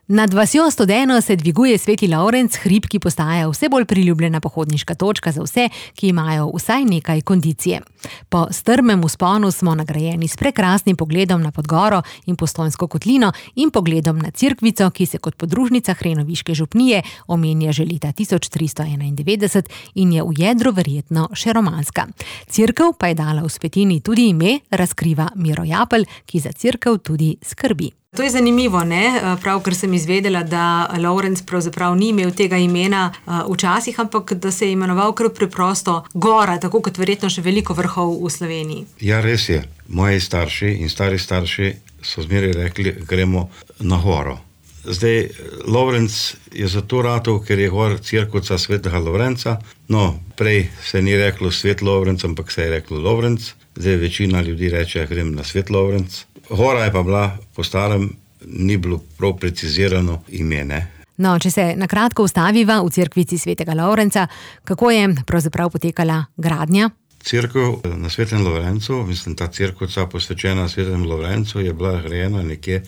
Nad vasjo Studeno se dviguje Sveti Lovrenc, hrib, ki postaja vse bolj priljubljena pohodniška točka za vse, ki imajo vsaj nekaj kondicije. Po strmem vzponu smo nagrajeni s prekrasnim pogledom na Podgoro in Postojnsko kotlino in pogledom na Cerkvico, ki se kot podružnica Hrenoviške župnije omenja že leta 1391 in je v jedru verjetno še romanska. Cerkev pa je dala v Svetini tudi ime, razkriva Miro Japelj, ki za cerkev tudi skrbi. To je zanimivo, ne? Pravkar sem izvedela, da Lovrenc pravzaprav ni imel tega imena včasih, ampak da se je imenoval kar preprosto Gora, tako kot verjetno še veliko vrhov v Sloveniji. Ja, res je. Moji starši in stari starši so zmeraj rekli, gremo na Goro. Zdaj, Lovrenc je zato ratov, ker je gor cerkvica Svetega Lovrenca. No, prej se ni reklo Svet Lovrenc, ampak se je reklo Lovrenc. Zdaj večina ljudi reče, grem na Svet Lovrenc. Gora je pa bila po starem, ni bilo prav precizirano ime, ne? No, če se na kratko ustaviva v cerkvici Svetega Lovrenca, kako je pravzaprav potekala gradnja? Cerkev na Svetem Lovrencu, ta cerkvica posvečena Svetemu Lovrencu, je bila grajena nekje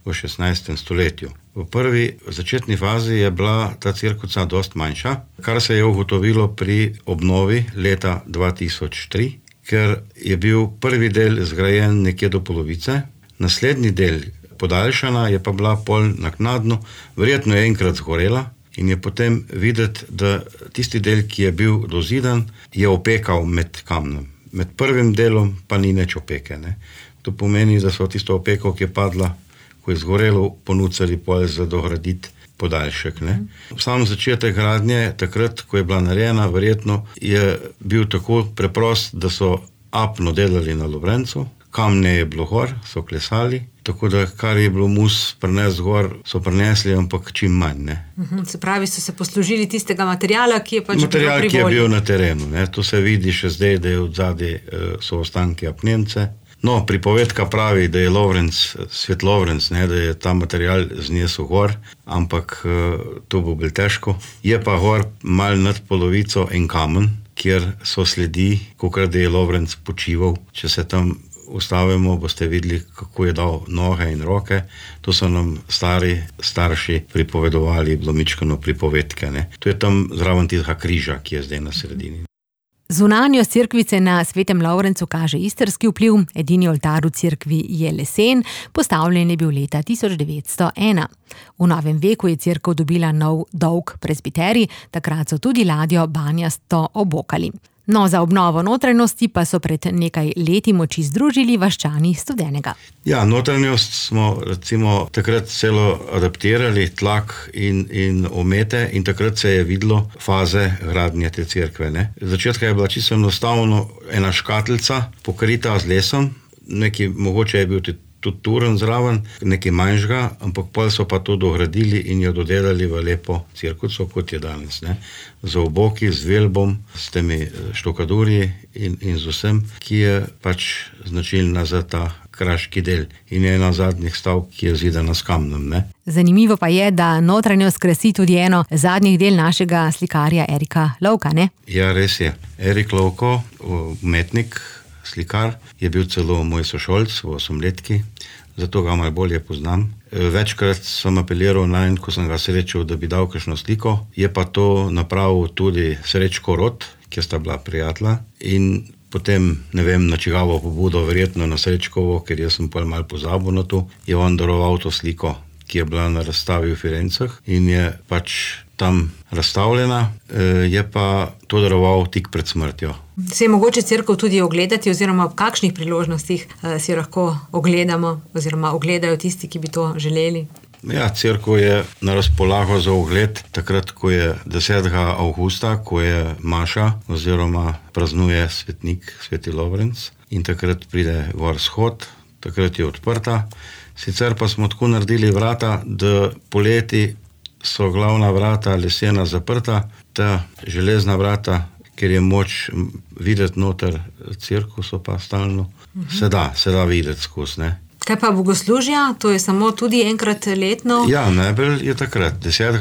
v 16. stoletju. V prvi začetni fazi je bila ta cerkvica dost manjša, kar se je ugotovilo pri obnovi leta 2003, ker je bil prvi del zgrajen nekje do polovice, naslednji del podaljšana je pa bila pol naknadno, verjetno je enkrat zgorela in je potem videti, da tisti del, ki je bil dozidan, je opekal med kamnom. Med prvim delom pa ni nič opeke, ne. To pomeni, da so tisto opeko, ki je padla, ko je zgorelo, ponucali pol za dograditi podaljšek, ne. Sam začetek gradnje, takrat, ko je bila narejena, verjetno je bil tako preprost, da so apno delali na Lovrencu, kamne je bilo gor, so klesali, tako da kar je bilo mus prinesti gor, so prinesli, ampak čim manj, ne. Se pravi, so se poslužili tistega materiala, ki je pač material, ki je bil na terenu, ne. To se vidi še zdaj, da je odzadaj so ostanki apnence. No, pripovedka pravi, da je Lovrenc, Svet Lovrenc, ne, da je ta material znesel gor, ampak to bo bolj težko. Je pa gor malo nad polovico en kamen, kjer so sledi, kakor da je Lovrenc počival. Če se tam ustavimo, boste videli, kako je dal noge in roke. To so nam starši pripovedovali, blomičkano pripovedke, ne. To je tam zraven tistega križa, ki je zdaj na sredini. Zunanjost cerkvice na Svetem Lovrencu kaže istrski vpliv, edini oltar v cerkvi je lesen, postavljen je bil leta 1901. V novem veku je cerkev dobila nov dolg presbiterij, takrat so tudi ladjo banjasto obokali. No, za obnovo notranjosti pa so pred nekaj leti moči združili vaščani Studenega. Ja, notranjost smo recimo takrat celo adaptirali, tlak in omete, in takrat se je videlo faze gradnje te cerkve, ne. Začetka je bila čisto enostavno ena škatlica pokrita z lesom, neki mogoče je bil tudi turen zraven, nekaj manjšega, ampak pol so pa to dogradili in jo dodelali v lepo cerkvico, kot je danes, ne. Z oboki, z velbom, s temi štukadurji in z vsem, ki je pač značilna za ta kraški del in je ena zadnjih stavb, ki je zidana s kamnom, ne. Zanimivo pa je, da notranjost krasi tudi eno zadnjih del našega slikarja Erika Lovka, ne? Ja, res je. Erik Lovko, umetnik, slikar, je bil celo moj sošolc v 8-letki, zato ga malo bolje poznam. Večkrat sem apeliral nanj, ko sem ga srečal, da bi dal kakšno sliko. Je pa to napravil tudi Srečko Rot, ki sta bila prijatelja, in potem, ne vem, na čigavo pobudo, verjetno na Srečkovo, ker jaz sem pol malo pozabil na to, je on daroval to sliko, ki je bila na razstavi v Firencah in je pač tam razstavljena, je pa to daroval tik pred smrtjo. Se je mogoče cerkev tudi ogledati, oziroma ob kakšnih priložnostih si lahko ogledamo, oziroma ogledajo tisti, ki bi to želeli? Ja, cerkev je na razpolago za ogled takrat, ko je 10. avgusta, ko je maša, oziroma praznuje svetnik Sveti Lovrenc, in takrat pride gor shod, takrat je odprta. Sicer pa smo tako naredili vrata, da poleti so glavna vrata lesena zaprta, ta železna vrata, ker je moč videti noter cerkev, so pa stalno. Se da videti skozi, ne. Kaj pa bogoslužja? To je samo tudi enkrat letno? Ja, najbolj je takrat, 10.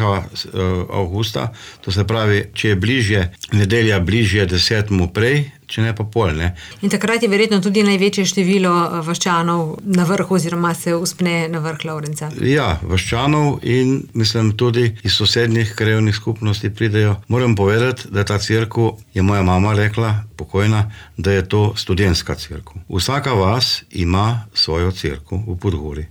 avgusta, to se pravi, če je bližje, nedelja bližje 10. prej, če ne pa pol. Ne. In takrat je verjetno tudi največje število vaščanov na vrhu oziroma se uspne na vrh Lovrenca. Ja, vaščanov in mislim tudi iz sosednjih krajevnih skupnosti pridejo. Moram povedati, da ta cerkev, je moja mama rekla, pokojna, da je to študentska cerkev. Vsaka vas ima svojo cerkev v Podgori.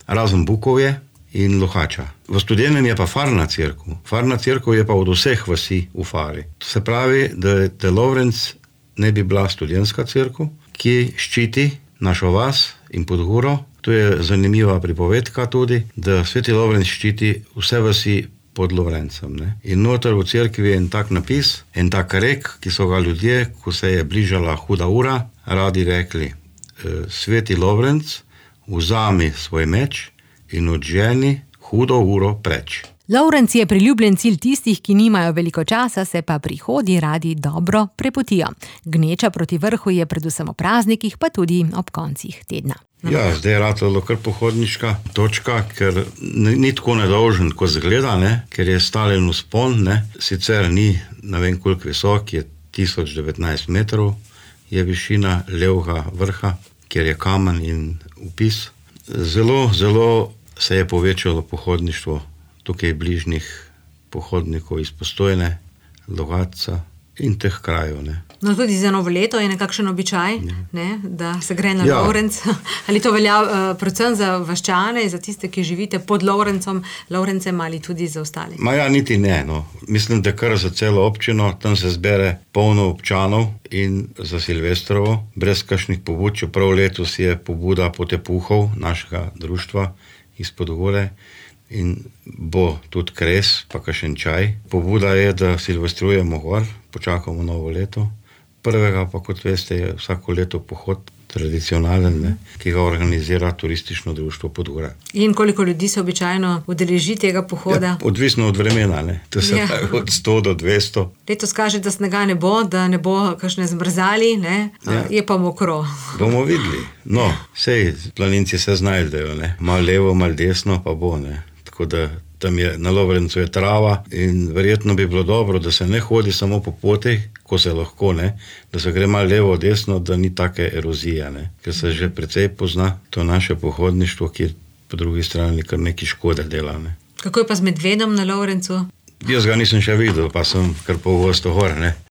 Razen Bukovje in Lohača. V Studenem je pa farna cerkev. Farna cerkev je pa od vseh vasi v fari. To se pravi, da Lovrenc ne bi bila študentska cerkev, ki ščiti našo vas in Podgoro. To je zanimiva pripovedka tudi, da sveti Lovrenc ščiti vse vasi pod Lovrencem. Ne? In noter v cerkvi je en tak napis, en tak rek, ki so ga ljudje, ko se je bližala huda ura, radi rekli: sveti Lovrenc, vzami svoj meč in odženi hudo uro preč. Lovrenc je priljubljen cilj tistih, ki nimajo veliko časa, se pa pri hodi radi dobro prepotijo. Gneča proti vrhu je predvsem ob praznikih, pa tudi ob koncih tedna. Ja, zdaj je ratalo kar pohodniška točka, ker ni tako nedolžen, ko zgleda, ne? Ker je stalen vzpon, ne? Sicer ni, ne vem koliko visok, je 1019 metrov, je višina levega vrha, kjer je kamen in vpis. Zelo, zelo se je povečalo pohodništvo tukaj bližnjih pohodnikov iz Postojne, Logatca in teh krajev. Ne. No, tudi za novo leto je nekakšen običaj, ne, da se gre na Lovrenc. Ali to velja predvsem za vaščane, za tiste, ki živite pod Lovrencem ali tudi za ostale? Ja, niti ne. No. Mislim, da kar za celo občino, tam se zbere polno občanov in za Silvestrovo, brez kakšnih pobud, čeprav letos je pobuda Potepuhov, našega društva iz Podgore, in bo tudi kres, pa kakšen čaj. Pobuda je, da silvestrujemo gor, počakamo novo leto. Prvega pa, kot veste, je vsako leto pohod tradicionalen, ne, ki ga organizira turistično društvo Podgora. In koliko ljudi se običajno udeleži tega pohoda? Ja, odvisno od vremena, ne. To se pravi od 100 do 200. Letos kaže, da snega ne bo, da ne bo kakšne zmrzali, ne, je pa mokro. Bomo videli. No, sej planinci se znajdejo, ne. Malo levo, malo desno pa bo, ne. Tako da tam je, na Lovrencu je trava in verjetno bi bilo dobro, da se ne hodi samo po potih, ko se lahko, ne, da se gre malo levo, desno, da ni take erozije, ne, ker se že precej pozna to naše pohodništvo, ki po drugi strani kar neki škode dela, ne. Kako je pa z medvedom na Lovrencu? Jaz ga nisem še videl, pa sem kar pogosto gor, ne.